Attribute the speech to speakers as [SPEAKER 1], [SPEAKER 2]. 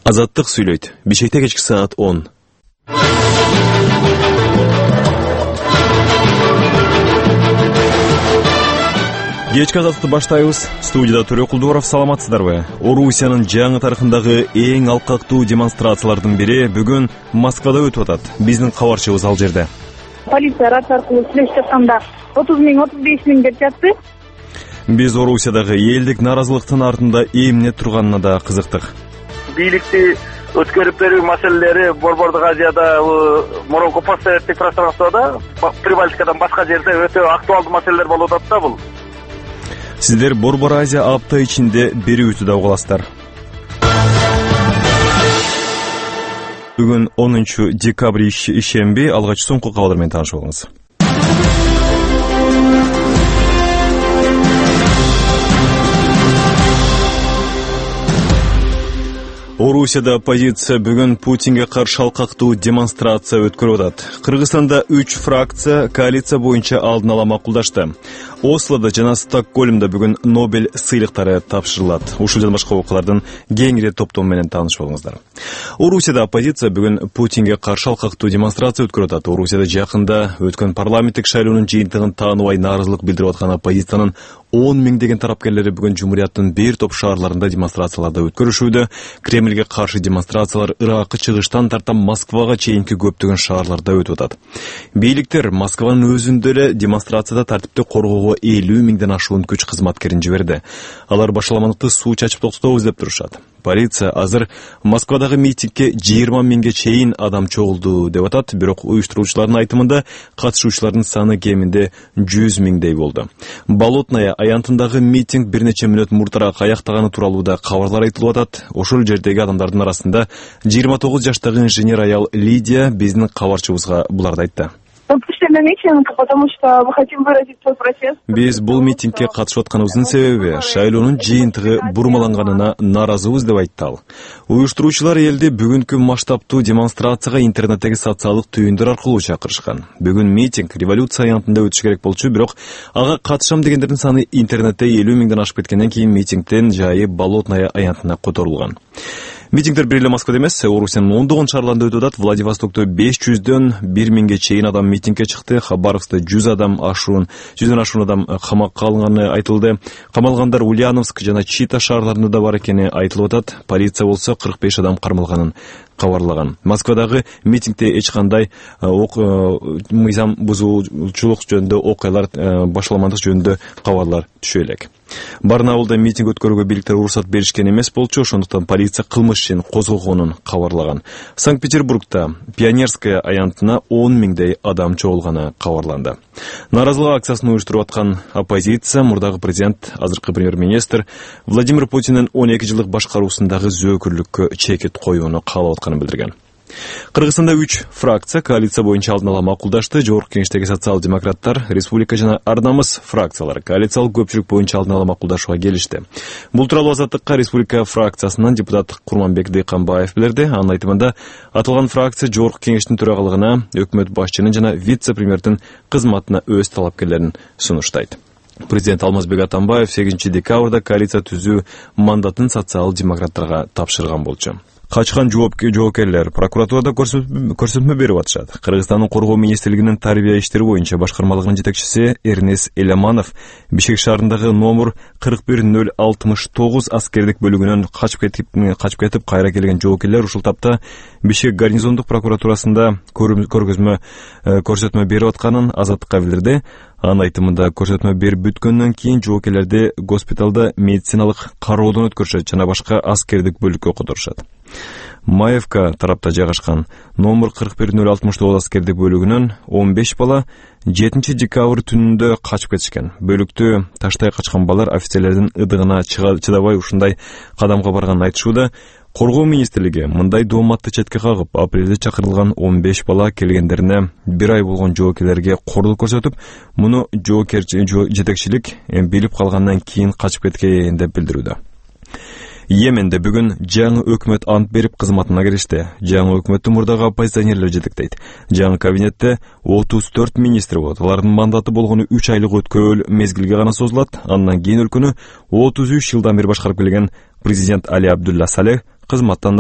[SPEAKER 1] Азаттык сүйлөйт. Бишкекте кечки саат 10. Кечки азаттыкты баштайбыз. Студияда Төрө Кулдубаров, саламатсыздарбы? Орусиянын жаңы тарыхындагы эң алкактуу демонстрациялардын бири бүгүн Москвада өтүп атат. Биздин кабарчыбыз ал жерде.
[SPEAKER 2] Полиция рация аркылуу сүйлөшүп жатканда 30 миң, 35 миң деп жатты.
[SPEAKER 1] Биз Орусиядагы элдик наразылыктын артында эмне турганына да кызыктык.
[SPEAKER 3] Бийликти өткөрүп берүү маселелери Борбордук Азияда, мурунку постсоветтик пространствода, Прибалтикадан башка жерде өтө актуалдуу маселелер болуп атат да бул.
[SPEAKER 1] Сиздер Борбор Азия апта ичинде берүүтү да угуласыздар. Бүгүн 10 декабрь ишемби, алгач соңку кабар менен таанышып алыңыз. Орусияда оппозиция бүгүн Путинге каршы алкактуу демонстрация өткөрүп атат. Кыргызстанда 3 фракция коалиция боюнча алдын ала макулдашты. Ослода жана Стокгольмда бүгүн Нобель сыйлыктары тапшырылат. Ушул жана башка окуялардын кеңири топтому менен таанышып алыңыздар. Орусияда оппозиция бүгүн Путинге каршы алкактуу демонстрация өткөрүп атат. Орусияда жакында өткөн парламенттик шайлоонун жыйынтыгын тааныбай нааразылык билдирип аткан оппозициянын 10 миңдеген тарапкерлери бүгүн Жумурияттын бир топ шаарларында демонстрацияларды өткөрүшүүдө. Кремльге каршы демонстрациялар Иракы чыгыштан тарта Москвага чейинки көптөгөн шаарларда өтүп атат. Бийликтер Москванын өзүндө эле демонстрацияда тартипти коргоого 50 миңден ашуун күч кызматкерин жиберди. Алар башаламандыкты суу чачып токтотобуз деп турушат. Полиция азыр Москвадагы митингге 20 миңге чейин адам чогулду деп атат, бирок уюштуруучулардын айтымында катышуучулардын саны кеминде 100 миңдей болду. Болотная аянтындагы митинг бир нече мүнөт муртараак аяктаганы тууралуу да кабарлар айтылып атат. Ошол жердеги адамдардын арасында 29 жаштагы инженер аял Лидия биздин кабарчыбызга буларды айтты.
[SPEAKER 2] Потому что мы хотим выразить свой протест.
[SPEAKER 1] Биз бул митингге катышып атканыбыздын себеби шайлоонун жыйынтыгы бурмаланганына нааразыбыз деп айтты ал. Уюштуруучулар элди бүгүнкү масштабтуу демонстрацияга интернеттеги социалдык түйүндөр аркылуу чакырышкан. Бүгүн митинг революция аянтында өтүшү керек болчу, бирок ага катышам дегендердин саны интернетте 50 миңден ашып кеткенден кийин митингдин жайы Болотная аянтына которулган. Митингдер бир эле Москвада эмес, Орусиянын ондогон шаарларында өтүп атат. Владивостокто 500дөн 1 миңге чейин адам митингге чыкты. Хабаровскта 100ден ашуун адам камакка алынганы айтылды. Камалгандар Ульяновск жана Чита шаарларында да бар экени айтылып атат. Полиция болсо 45 адам кармалганын кабарлаган. Москвадагы митингде эч кандай мыйзам бузуучулук жөнүндө окуялар, башаламандык жөнүндө кабарлар түшө элек. Барнаулда митинг өткөрүүгө бийликтер уруксат беришкен эмес болчу, ошондуктан полиция кылмыш ишин козгогонун кабарлаган. Санкт-Петербургда Пионерская аянтына 10 миңдей адам чогулганы кабарланды. Нааразылык акциясын уюштуруп аткан оппозиция мурдагы президент, азыркы премьер-министр Владимир Путиндин 12 жылдык башкаруусундагы зөөкүрлүккө чекит коюуну каалап атканын билдирген. Кыргызстанда 3 фракция коалиция боюнча алдын ала макулдашты. Жогорку кеңештеги социал-демократтар, Республика жана Ар-намыс фракциялары коалициялык көпчүлүк боюнча алдын ала макулдашууга келишти. Бул тууралуу Азаттыкка Республика фракциясынан депутат Курманбек Дыйканбаев билдирди. Анын айтымында аталган фракция жогорку кеңештин төрагалыгына, өкмөт башчынын жана вице-премьердин кызматына өз талапкерлерин сунуштайт. Президент Алмазбек Атамбаев 8 декабрда коалиция түзүү мандатын социал-демократтарга тапшырган болчу. Качкан жоопкерлер прокуратурада көрсөтмө берип атышат. Кыргызстандын коргоо министрлигинин тарбия иштери боюнча башкармалыгынын жетекчиси Эрнес Элеманов Бишкек шаарындагы номер 41069 аскердик бөлүгүнөн качып кетип кайра келген жоопкерлер ушул тапта Бишкек гарнизондук прокуратурасында көрсөтмө берип атканын Азаттыкка билдирди. Анын айтымында көрсөтмө берип бүткөндөн кийин жоопкерлерди госпиталда медициналык кароодон өткөрүшөт жана башка аскердик бөлүккө которушат. Маевка тарапта жайгашкан номер 41069 аскердик бөлүгүнөн 15 бала 7 декабрь түнүндө качып кетишкен. Бөлүктү таштай качкан балдар офицерлердин ыдыгына чыдабай ушундай кадамга барганын айтышууда. Коргоо министрлиги мындай дооматты четке кагып, апрелде чакырылган 15 бала келгендерине 1 ай болгон жоокерлерге кордук көрсөтүп, муну жетекчилик билип калгандан кийин качып кеткен деп билдирүүдө. Йеменде бүгүн жаңы өкмөт ант берип кызматына киришти. Жаңы өкмөттү мурдагы оппозиционерлер жетектейт. Жаңы кабинетте 34 министр болот. Алардын мандаты болгону 3 айлык өткөрүл мезгилге гана созулат. Андан кийин өлкөнү 33 жылдан бери башкарып келген президент Али Абдулла Салех кызматтан